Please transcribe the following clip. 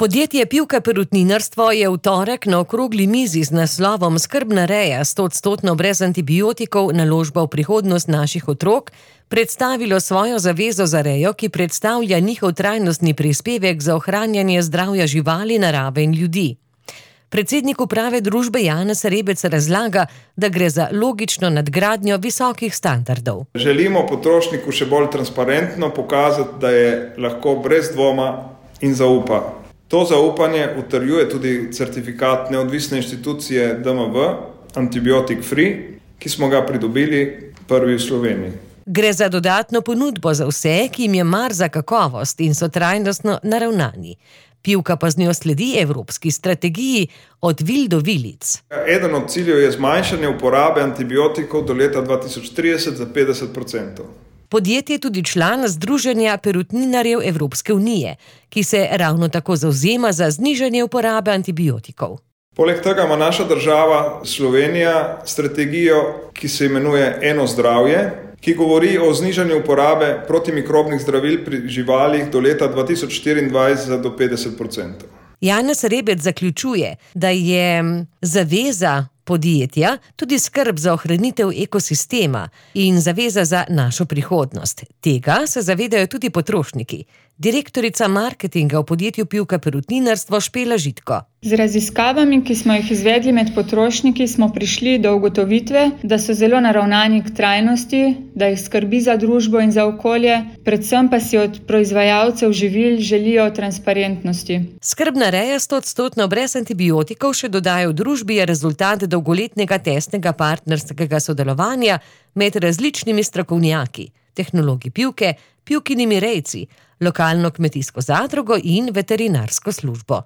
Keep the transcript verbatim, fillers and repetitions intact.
Podjetje Pivka perutninarstvo je v torek na okrogli mizi z naslovom Skrbna reja stoodstotno brez antibiotikov naložba v prihodnost naših otrok predstavilo svojo zavezo za rejo, ki predstavlja njihov trajnostni prispevek za ohranjanje zdravja živali, narave in ljudi. Predsednik uprave družbe Janez Rebec razlaga, da gre za logično nadgradnjo visokih standardov. Želimo potrošniku še bolj transparentno pokazati, da je lahko brez dvoma in zaupa. To zaupanje utrjuje tudi certifikat neodvisne inštitucije D M V, Antibiotic Free, ki smo ga pridobili prvi v Sloveniji. Gre za dodatno ponudbo za vse, ki jim je mar za kakovost in so trajnostno naravnani. Pivka pa z njo sledi evropski strategiji od vil do vilic. Eden od ciljev je zmanjšanje uporabe antibiotikov do leta dva tisoč trideset za petdeset procentov. Podjetje je tudi član Združenja perutninarjev Evropske unije, ki se ravno tako zavzema za znižanje uporabe antibiotikov. Poleg tega ima naša država Slovenija strategijo, ki se imenuje Eno zdravje, ki govori o znižanju uporabe protimikrobnih zdravil pri živalih do leta dva tisoč štiriindvajset za do petdeset procentov. Janez Rebec zaključuje, da je zaveza podjetja tudi skrb za ohranitev ekosistema in zaveza za našo prihodnost. Tega se zavedajo tudi potrošniki. Direktorica marketinga v podjetju Pivka perutninarstvo Špela Žitko. Z raziskavami, ki smo jih izvedli med potrošniki, smo prišli do ugotovitve, da so zelo naravnani k trajnosti, da jih skrbi za družbo in za okolje, predvsem pa si od proizvajalcev živil želijo transparentnosti. Skrbna reja stoodstotno brez antibiotikov še dodaja v družbi je rezultat dolgoletnega tesnega partnerskega sodelovanja med različnimi strokovnjaki, tehnologi Pivke, Pivkinimi rejci, lokalno kmetijsko zadrugo in veterinarsko službo.